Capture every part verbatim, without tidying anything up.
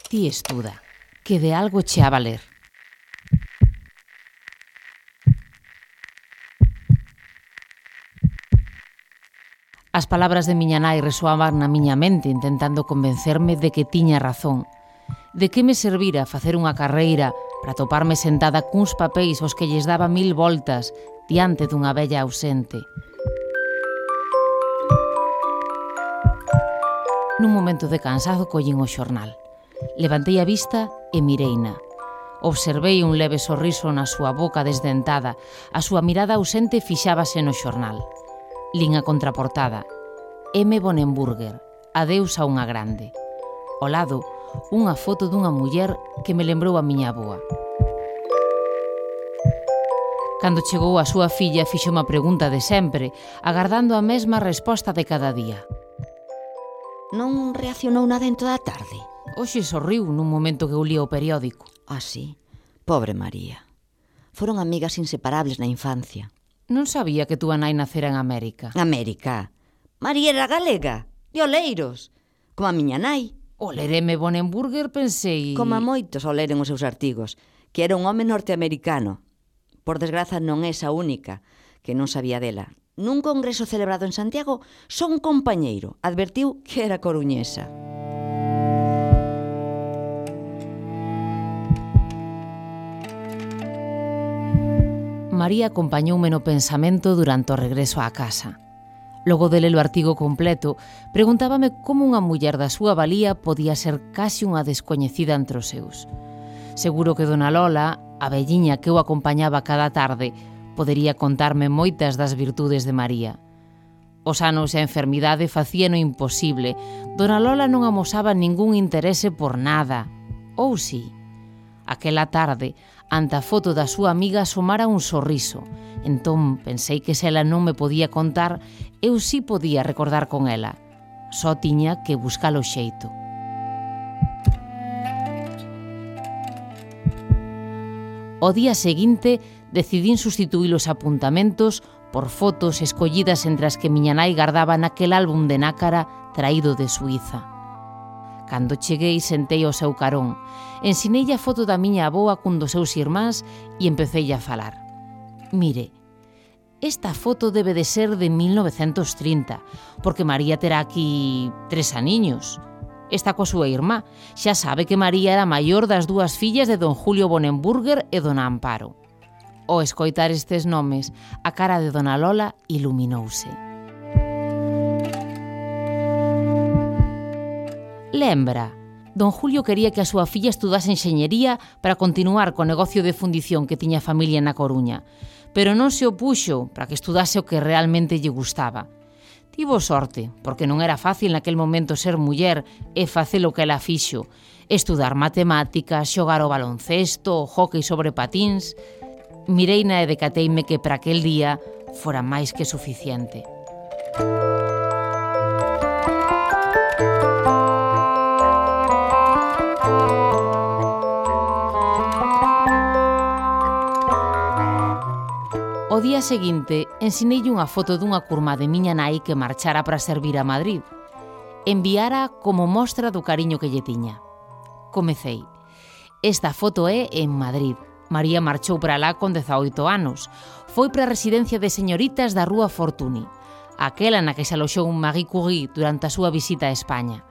Ti estuda, que de algo che a valer. As palabras de miña nai resoaban na miña mente intentando convencerme de que tiña razón. De que me servira facer unha carreira para toparme sentada cuns papéis aos que lles daba mil voltas diante dunha vella ausente. Nun momento de cansado collín o xornal. Levantei a vista e mireina. Observei un leve sorriso na súa boca desdentada. A súa mirada ausente fixábase no xornal. Lin a contraportada. M. Bonenburger, adeus a unha grande. Ao lado, unha foto dunha muller que me lembrou a miña avoa. Cando chegou a súa filla, fixo unha pregunta de sempre, agardando a mesma resposta de cada día. Non reaccionou nada en toda a tarde? Hoxe sorriu nun momento que eu lía o periódico. Ah, sí? Pobre María. Foron amigas inseparables na infancia. Non sabía que túa nai nacera en América. América? María era galega, de Oleiros, como a miña nai. O ler M. Bonenburger pensei... Como a moitos ao leren os seus artigos, que era un home norteamericano. Por desgraza non é esa única, que non sabía dela. Nun congreso celebrado en Santiago, só un compañeiro advertiu que era coruñesa. María acompañoume no pensamento durante o regreso á casa. Logo de ler o artigo completo, preguntábame como unha muller da súa valía podía ser case unha descoñecida entre os seus. Seguro que dona Lola, a velliña que eu acompañaba cada tarde, podería contarme moitas das virtudes de María. Os anos e a enfermidade facían o imposible. Dona Lola non amosaba ningún interese por nada. Ou si? Aquela tarde, ante a foto da súa amiga asomara un sorriso. Entón pensei que se ela non me podía contar, eu si podía recordar con ela. Só tiña que buscar o xeito. O día seguinte decidín sustituir os apuntamentos por fotos escollidas entre as que miña nai gardaba naquel álbum de nácara traído de Suíza. Cando cheguei, sentei ao seu carón. Ensinei a foto da miña avoa cun dos seus irmáns e empecei a falar. Mire, esta foto debe de ser de mil novecentos trinta, porque María terá aquí tres aniños. Está coa súa irmá. Xa sabe que María era a maior das dúas fillas de don Julio Bonenburger e dona Amparo. Ao escoitar estes nomes, a cara de dona Lola iluminouse. Lembra, don Julio quería que a súa filla estudase enxeñería para continuar co negocio de fundición que tiña a familia na Coruña, pero non se opuxo para que estudase o que realmente lle gustaba. Tivo sorte, porque non era fácil naquel momento ser muller e facer o que ela fixo, estudar matemáticas, xogar o baloncesto, o hóquei sobre patíns. Mireina e decateime que para aquel día fora máis que suficiente. O día seguinte, ensineille unha foto dunha curmá de miña nai que marchara para servir a Madrid. Enviara como mostra do cariño que lle tiña. Comecei. Esta foto é en Madrid. María marchou para lá con dezaoito anos. Foi para a residencia de señoritas da Rúa Fortuny, aquela na que se aloxou un Marie Curie durante a súa visita a España.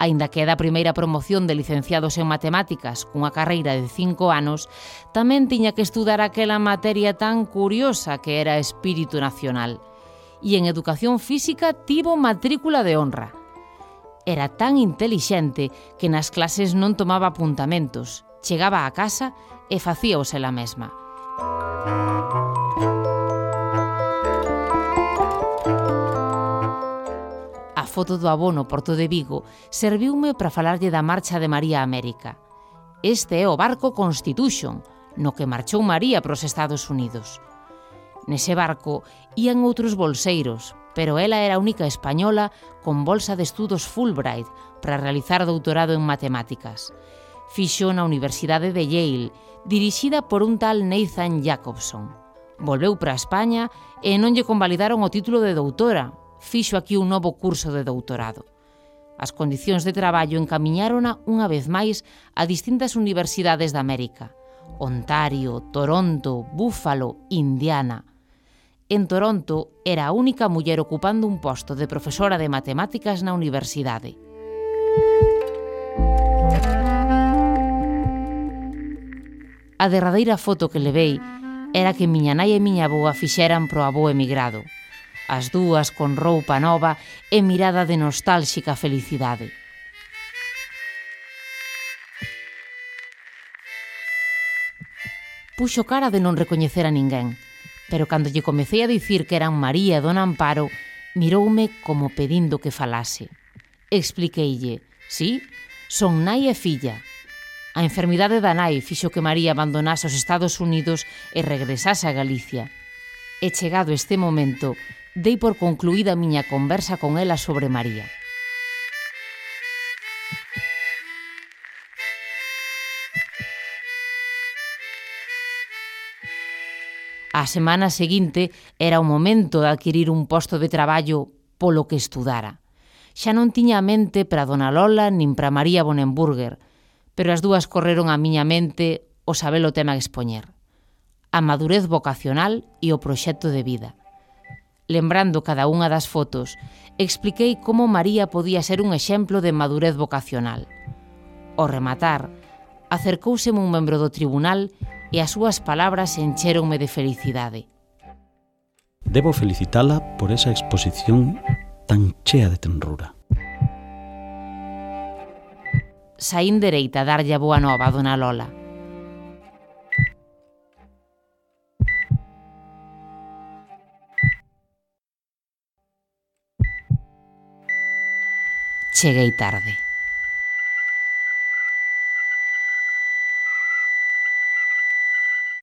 Aínda que é da primeira promoción de licenciados en matemáticas cunha carreira de cinco anos, tamén tiña que estudar aquela materia tan curiosa que era espírito nacional. E en educación física tivo matrícula de honra. Era tan intelixente que nas clases non tomaba apuntamentos, chegaba a casa e facíaos ela mesma. A foto do avó no Porto de Vigo serviume para falarlle da marcha de María a América. Este é o barco Constitution, no que marchou María para os Estados Unidos. Nese barco ían outros bolseiros, pero ela era a única española con bolsa de estudos Fulbright para realizar doutorado en matemáticas. Fixo na Universidade de Yale, dirixida por un tal Nathan Jacobson. Volveu para España e non lle convalidaron o título de doutora. Fixo aquí un novo curso de doutorado. As condicións de traballo encamiñárona unha vez máis a distintas universidades de América: Ontario, Toronto, Buffalo, Indiana. En Toronto era a única muller ocupando un posto de profesora de matemáticas na universidade. A derradeira foto que levei era que miña nai e miña avoa fixeran pro avó emigrado, as dúas con roupa nova e mirada de nostálxica felicidade. Puxo cara de non recoñecer a ninguén, pero cando lle comecei a dicir que eran María e Don Amparo, miroume como pedindo que falase. Expliqueille: sí, son nai e filla. A enfermidade da nai fixo que María abandonase os Estados Unidos e regresase a Galicia. E chegado este momento, dei por concluída a miña conversa con ela sobre María. A semana seguinte era o momento de adquirir un posto de traballo polo que estudara. Xa non tiña a mente para Dona Lola nin para María Bonenburger, pero as dúas correron á miña mente o saber o tema a expoñer: a madurez vocacional e o proxecto de vida. Lembrando cada unha das fotos, expliquei como María podía ser un exemplo de madurez vocacional. Ao rematar, acercouseme un membro do tribunal e as súas palabras enchéronme de felicidade. Debo felicitala por esa exposición tan chea de tenrura. Saín dereita a darlle a boa nova a Dona Lola. Cheguei tarde.